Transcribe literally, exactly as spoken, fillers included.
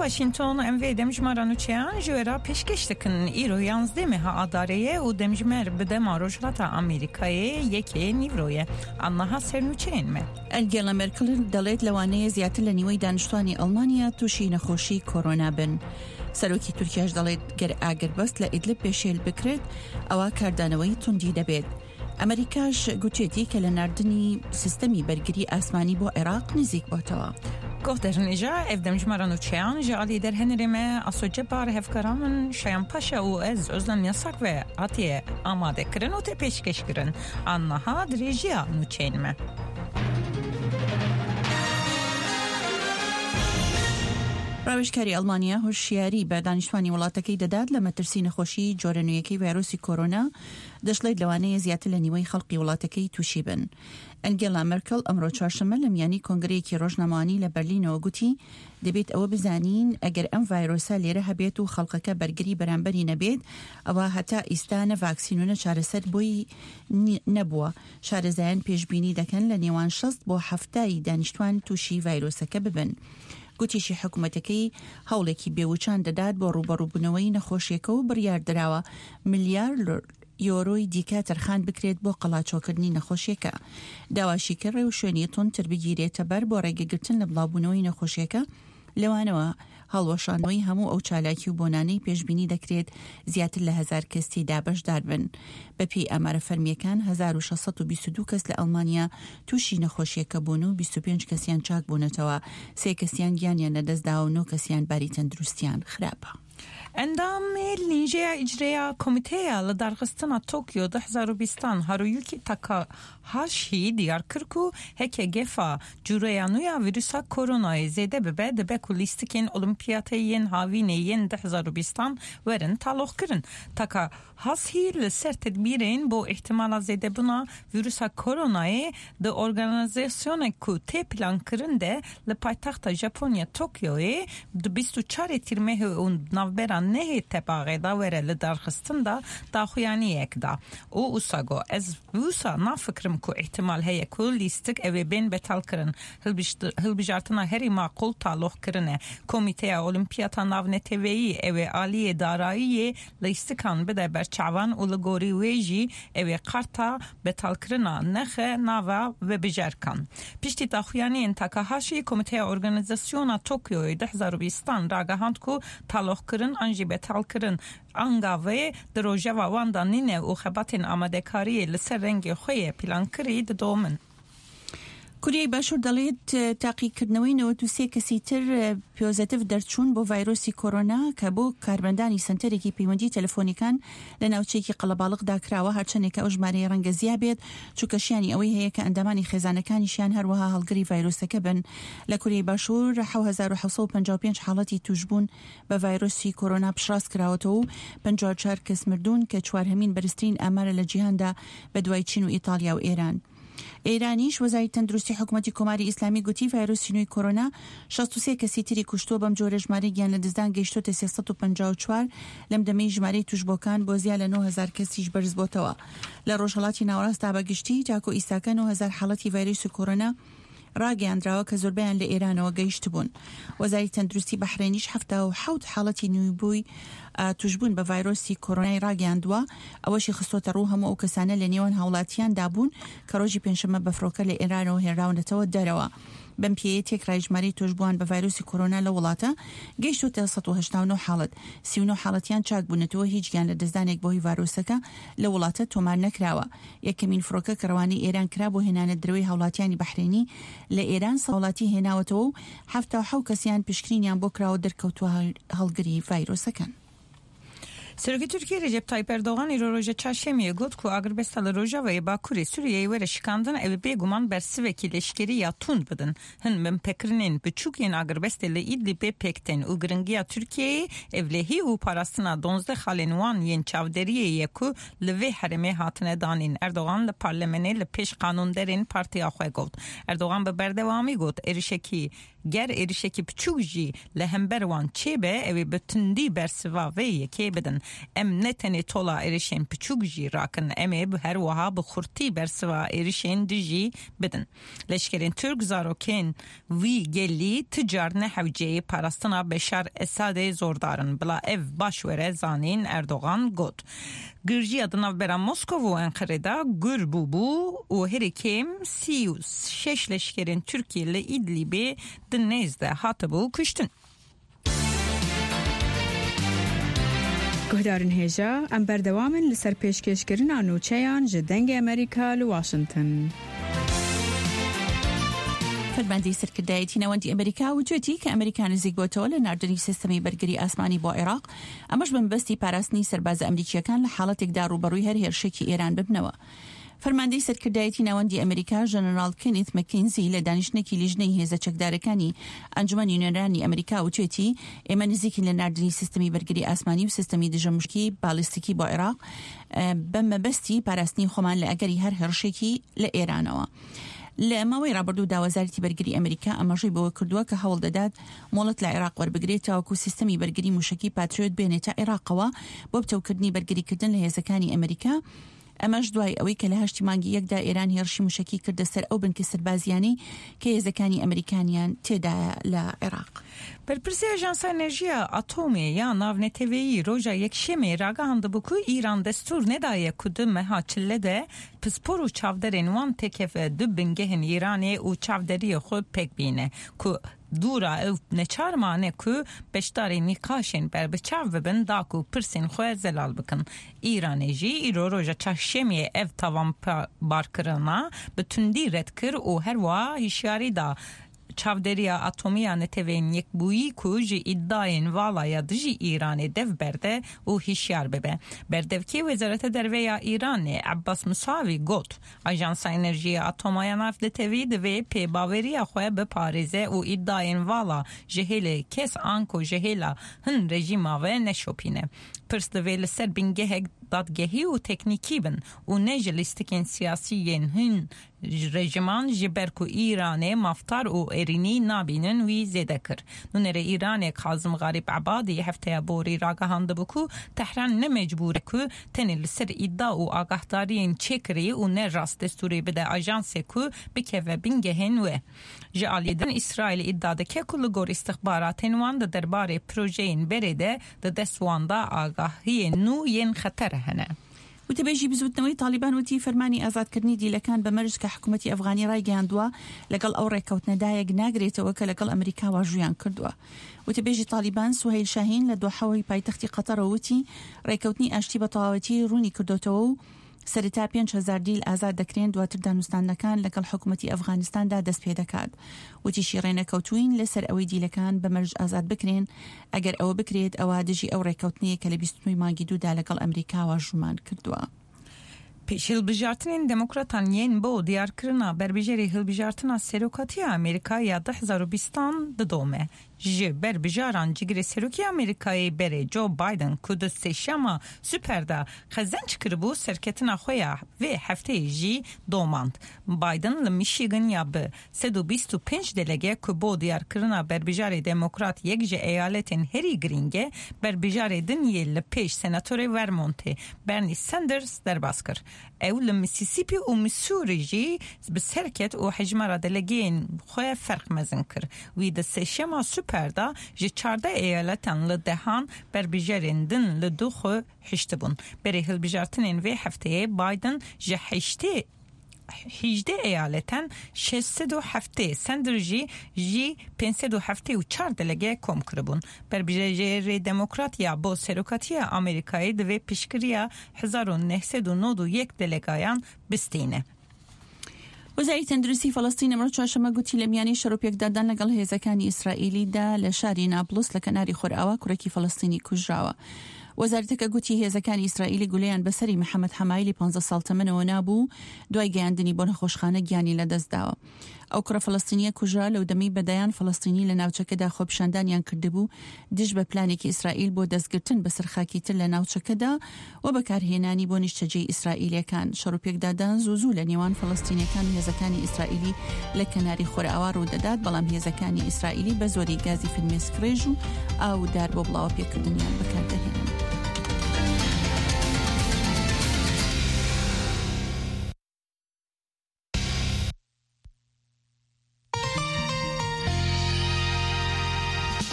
Washington, em vê demjimara nûçeyan ji we re pêşkêş dikin. Îro yanzdeh meha Adarê ye û demjimêr bi dema Rojhilata Amerîkayê yekê nîvro ye. Annaha ser nûçeyên me. ئەنگێلا مێرکل دەڵێت لەوانەیە زیاتر لە نیوەی دانیشتوانی ئەڵمانیا تووشی نەخۆشی کۆرۆنا بن. سەرۆکی تورکیاش دەڵێت گەر ئاگربەست لە ئیدلب پێشێل بکرێت، ئەوە کاردانەوەی توندی دەبێت. ئەمریکاش گوتێتی کە لە ناردنی سیستەمی بەرگری ئاسمانی بۆ عێراق نزیک بۆتەوە. Guhdarên hêja, ev demjimara nûçeyan ji alî derhenirê me Aso Cebar, hevkara min Şayan Paşa û ez Özlem Yasak ve hatiye amadekirin û tê pêşkêşkirin. Annaha dirêjiya nûçeyên me. ڕاوێژکاری ئەڵمانیا هۆشیاری بە دانیشتوانی وڵاتەکەی دەدات لە مەترسی نەخۆشی جۆرە نوێیەکەی ڤایرۆسی کۆرۆنا، دەشڵێت لەوانەیە زیاتر لە نیوەی خەڵقی وڵاتەکەی تووشی بن. ئەنگێلا مەرکل ئەمڕۆ چوارشەممە لە میانی کۆنگرەیەکی ڕۆژنامەوانی لە بەرلینەوە گوتی، دەبێت ئەوە بزانین ئەگەر ئەم ڤایرۆسە لێرە هەبێت و خەڵکەکە بەرگری بەرامبەری نەبێت، ئەوە هەتا ئیستا نە ڤاکسین و نە چارەسەر بۆی نی-، نەبووە. شارەزایان پێشبینی دەکەن لە نێوان شەست بۆ حەفتای دانیشتوان تووشی ڤایرۆسەکە ببن. گوتیشی حکوومەتەکەی هەوڵێکی بێوچان دەدات بۆ ڕوبەڕووبوونەوەی نەخۆشیەکە و بڕیاردراوە ملیار یۆرۆی دیکە تەرخان بکرێت بۆ قەڵاچۆکردنی نەخۆشیەکە. داواشی کرد ڕێوشوێنی تونتر بگیرێتە بەر بۆ ڕێگەگرتن لە بڵاوبوونەوەی نەخۆشیەکە، لەوانەوە هەڵوەشانەوەی هەموو ئەو چالاکی و بۆنانەی پێشبینی دەکرێت زیاتر لە هەزار کەسی دابەشدار بن. بە پێی ئامارە فەرمیەکان، هەزار و شەش سەد و بیست و دوو کەس لە ئەڵمانیا تووشی نەخۆشیەکە بوون و بیست و پێنج کەسیان چاک بوونەتەوە، سێ کەسیان گیانیان لەدەستداوە و نۆ کەسیان باری تەندروستیان خراپە. Endamê Lîjeya Îcreya Komîteya li Darxistina Tokyo du hezar û bîstan Haruyuki Takahashi diyar kir ku heke gefa cûreya nû ya vîrusa koronayê zêde bibe, dibe ku lîstikên Olimpiyatê yên havînê yên du hezar û bîstan werin taloqkirin. Takahashi li ser tedbîrên bo îhtimala zêdebûna vîrusa koronayê di organîzasyonek ku tê plankirin de li paytexta Japonya Tokyoyê di bîst û çarê Tîrmehê û navbera nehê Tebaxê de were lidarxistin de daxuyaniyek da û wisa got, ez wisa nafikirim ku îhtimal heye ku lîstik ew ê bên betalkirin. Hilbijt-, hilbijartina herî maqûl taloqkirin e. Komîteya Olimpiyata Navneteweyî ew ê aliyê darayiyê lîstikan bide ber çavan û li gorî wê jî ew ê karta betalkirina nexe nava vebijarkan. Piştî daxuyaniyên Takahashi, Komîteya Organîzasyona Tokyoyê du hezar û bîstan ragehand ku taloqkirin an jî betalkirin anga vê di rojeva wan de nîne û xebatên amadekariyê li ser rengê xwe yê plankirî didomin. کوریای باشوور دەڵێت، تاقیکردنەوەی نەوەد و سێ کەسی تر پۆزەتیڤ دەرچوون بۆ ڤایرۆسی کۆرۆنا کە بۆ کارمەندانی سەنتەرێکی پەیوەندی تەلەفۆنیکان لە ناوچەیەکی قەڵەباڵغدا کراوە، هەرچەندێک کە ئەو ژمارەیە ڕەنگە زیا بێت، چونکە شیانی ئەوەی هەیە کە ئەندامانی خێزانەکانیشیان هەروەها هەڵگری ڤایرۆسەکە بن. لە کوریای باشوور حەوت هەزار و حەوت سەد و پەنجا و پێنج حاڵەتی توشبوون بە ڤایرۆسی کۆرۆنا پشتڕاست کراوەتەوە و پەنجا و چوار کەس مردوون کە چوارهەمین بەرزترین ئامارە لە جیهاندا بە دوای چین و ئیتالیا و ئێران. ئێرانیش، وەزاری تەندروستی حکوومەتی کۆماری ئیسلامی گوتی ڤایرۆسی نوێی کۆرۆنا شەست و سێ کەسی تری کوشتووە، بەم جۆرە ژمارەی گیان لە دەستدان گەیشتۆتە سێ سەد و پەنجا و چوار، لەم دەمەی ژمارەی توشبۆکان بۆ زیاد لە نۆ هەزار کەسیش بەرز بۆتەوە. لە ڕۆژهەڵاتی ناوەڕاستدا بە گشتی تاکو ئیستاکە نۆ هەزار حاڵەتی ڤایرۆسی کۆرۆنا ڕاگەیاندراوە کە زۆربەیان لە ئێرانەوە گەیشتبوون. وەزاری تەندروستی بەحرێنیش حەفتا و حەوت حاڵەتی نوێبووی، ئا، توشبوون بە ڤایرۆسی کۆرۆنای ڕاگەیاندووە. ئەوەشی خستۆتە ڕوو هەموو ئەو کەسانە لە نێوان هاوڵاتیاندا بوون کە ڕۆژی پێنجشەممە بە فڕۆکە لە ئێرانەوە هێنراونەتەوە دەرەوە. بەم پێیە تێکڕای ژمارەی توشبووان بە ڤایرۆسی کۆرۆنا لە وڵاتە گەیشتۆتە سەد و هەشتا و نۆ حاڵەت. سی و نۆ حاڵەتیان چاک بوونەتەوە، هیچ گیان لە دەستدانێک بەهۆی ڤایرۆسەکە لە وڵاتە تۆمار نەکراوە. یەکەمین فڕۆکە کە ڕەوانەی ئێران کرا بۆ هێنانە درەوەی هاوڵاتیانی بەحرێنی لە ئێران سەد وڵاتی هێناوەتەوە و حەفتا و حەوت کەسیان پشکنینیان بۆ کراوە دەرکەوتووە هەڵ-، هەڵگری ڤایرۆسەکەن. Serokê Tirkiyê Recep Tayyip Erdogan îro roja çarşemiyê got ku agirbesta li rojavayê bakurê Sûriyeyê were şikandin, ew ê bêguman bersivekî leşkerî ya tund bidin. Hin binpêkirinên biçûk yên agirbestê li Îdlîbê pêk tên û giringiya Tirkiyeyê êvlehî û parastina duwazdeh xalên wan yên çavderiyê ye ku li vê herêmê hatine danîn. Erdogan li parlemenê li pêş qanûnderên partiya xwe got. Erdogan bi berdewamî got, êrişekî Ger êrişekî piçûk jî li hember wan çêbe, ew ê bi tundî bersiva vê yekê bidin. Em ne tenê tola êrişên piçûk jî rakin, em ê bi her wiha bi xurtî bersiva êrişên dijî bidin. Leşkerên Tirk zarokên vî gelî ti car ne hewceyê parastina Beşar Esadê zordar in. Bila ev baş were zanîn, Erdogan got. Girjiya di navbera Moskov û Enqerê de gur bûbû û herî kêm sî û şeş leşkerên Tirkiyê li Îdlîbê di nêz de hatibû kuştin. Guhdarên hêja, em berdewam in li ser pêşkêşkirina nûçeyan ji Dengê Amerîka li Washington. فەرماندەی سەرکردایەتی ناوەندی ئەمریکا وتوێتی کە ئەمریکا نزیک بۆتەوە لە ناردنی سیستەمی بەرگری ئاسمانی بۆ عێراق، ئەمەش بە مەبەستی پاراستنی سەربازە ئەمریکیەکان لە حاڵەتێکدا ڕوبەڕووی هەر هێرشێکی ئێران ببنەوە. فەرماندەی سەرکردایەتی ناوەندی ئەمریکا، ژەنەرال کێنیت مەکینزی، لە دانیشتنێکی لیژنەی هێزە چەکدارەکانی ئەنجومەنی نوێنەرانی ئەمریکا وتوێتی، ئێمە نزیکین لە ناردنی سیستەمی بەرگری ئاسمانی و سیستەمی دژە مشکی بالیستیکی بۆ عێراق، ئە، بە مەبەستی پاراستنی خۆمان لە ئەگەری هەر هێرشێکی لە ئێرانەوە. لە ماوەی ڕابردوودا وەزارەتی بەرگری ئەمریکا ئاماژەی بەوە کردووە کە هەوڵ دەدات مۆڵەت لە عێراق وەربگرێت تاوەکو سیستەمی بەرگری موشەکی پاتریۆت بێنێتە عێراقەوە بۆ بتەوکردنی بەرگریکردن لە هێزەکانی ئەمریکا. ئەمەش دوای ئەوەی کە لە هەشتی مانگی یەکدا ئێران هێرشی موشەکی کردە سەر ئەو بنکە سەربازیانەی کە هێزەکانی ئەمریکانیان تێدایە لە عێراق. Berpirsê Ajansa Enerjiya Atomê ya Navneteweyî roja Yekşemê ragihandibû ku Îran destûr nedaye ku di meha çile de pispor û çavderên wan têkeve du bingehên Îranê û çavderiyê xwe pêk bîne ku dûra ew neçar mane ku beşdarî nîqaşên berbiçav bibin, da ku pirsên xwe zelal bikin. Îranê jî îro roja çarşemiyê ev tawanbarkirina bi tundî red kir û herwiha hişyarî da çavderiya atomî ya Neteweyên Yekbûyî ku ji îdayên vala ya dijî Îranê dev berde û hişyar bibe. Berdevkê Wezareta Derve ya Îranê Ebbas Musavî got, Ajansa Enerjiyê Atoma ya Navnetewî divê pêbaweriya xwe biparêze û îdayên vala ji hêlê kes anko ji hêla hin rejîma ve neşopîne. Pirs divê li ser bingehek dadgehî û teknîkî bin û ne ji lîstikên siyasî yên hin rejiman, ji ber ku Îranê mafdar û êrînî nabînin, wî zêde kir. Nûnerê Îranê Kazim Garîb Ebadî hefteya borî ragihandibû ku Tehran ne mecbûr e ku tenê li ser îda û agahdariyên çêkirî û ne rast destûrê bide ajansê ku bikeve bingehên wê. Ji aliyê din Îsraîl îda dike ku li gor îstixbaratên wan di derbarê projeyên berê de di dest wan de agahiyên nû yên xeter hene. وتەبێژی بزوتنەوەی تالیبان وتی فەرمانی ئازادکردنی دیلەکان بە مەرج کە حکوومەتی ئەفغانی ڕایگەیاندووە لەگەڵ ئەو ڕێککەوتنەدا یەک ناگرێتەوە کە لەگەڵ ئەمریکا واژویان کردووە. وتەبێژی تالیبان سوهەیل شاهین لە دۆحەوەی پایتەختی قەتەرەوە وتی ڕێککەوتنی ئاشتی بە تەواوەتی ڕوونی کردوتەوە و سەرەتا پێنج هەزار دیل ئازاد دەکرێن، دواتر دانوستاندنەکان لەگەڵ حکوومەتی ئەفغانستاندا دەست پێ دەکات. وتیشی ڕێنەکەوتووین لەسەر ئەوەی دیلەکان بە مەرج ئازاد بکرێن، ئەگەر ئەوە بکرێت ئەوە دژی ئەو ڕێککەوتنەیە کە لە بیست و نۆی مانگی دوودا لەگەڵ ئەمریکا واژوومان کردووە. Pêş hilbijartinên demokratan yên bo diyarkirina berbijêrê hilbijartina serokatiya Amerîka ya du hezar û bîstan didome. Ji berbijaran cigirê serokê Amerîkayê berê Joe Biden ku di sêşema Super de qezenc kiribû, serketina xwe ya vê hefteyê jî domand. Biden li Michigan ya bi sed û bîst û pênc delege ku bo diyarkirina berbijarê demokrat yek ji eyaletên herî girîng e, berbijarê din yê li pêş senatorê Vermontê Bernie Sanders derbas kir. Ew li Mississippi û Missouri jî bi ser ket û hejmara delegeyên xwe ferq mezin kir. Wî di sêşema Super de ji çardeh eyaletan li dehan berbijarên din li du xwe hiştibûn. Berê hilbijartinên vê hefteyê Biden ji heştê hîjdeh eyaletan şeş sed û heftê, Sanders jî jî pênc sed û heftê û çar delege kom kiribûn. Berbijêrê demokrat ya bo serokatiya Amerîkayê divê piştgiriya hezar û neh sed û nod û yek delegayan bistîne. وەزاری تەندروستی فەڵەستین ئەمڕۆ چوارشەممە گوتی لە میانی شەڕ و پێکدادان لەگەڵ هێزەکانی ئیسرائیلیدا لە شاری نابلس لە کەناری خۆرئاوا کوڕێکی فەڵەستینی کوژراوە. وەزارەتەکە گوتی هێزەکانی ئیسرائیلی گولەیان بەسەری محەممەد حەمایلی پانزدە ساڵ تەمەنەوە نابوو، دوای گەیاندنی بۆ نەخۆشخانە گیانی لەدەستداوە. ئەو کوڕە فەلەستینیە کوژرا لەو دەمی بە دەیان فەلەستینی لە ناوچەکەدا خۆپیشاندانیان کردبوو دژ بە پلانێکی ئیسرائیل بۆ دەستگرتن بەسەر خاکی تر لە ناوچەکەدا و بەکارهێنانی بۆ نیشتەجێی ئیسرائیلیەکان. شەڕ و پێکدادان زوو زوو لە نێوان فەلەستینیەکان و هێزەکانی ئیسرائیلی لە کەناری خۆرئاوا ڕوو دەدات، بەڵام هێزەکانی ئیسرائیلی بە زۆری گازی فرمێسک ڕێژ و ئاو و دار بۆ بڵاوە پێکردنیان بەکاردەهێنن.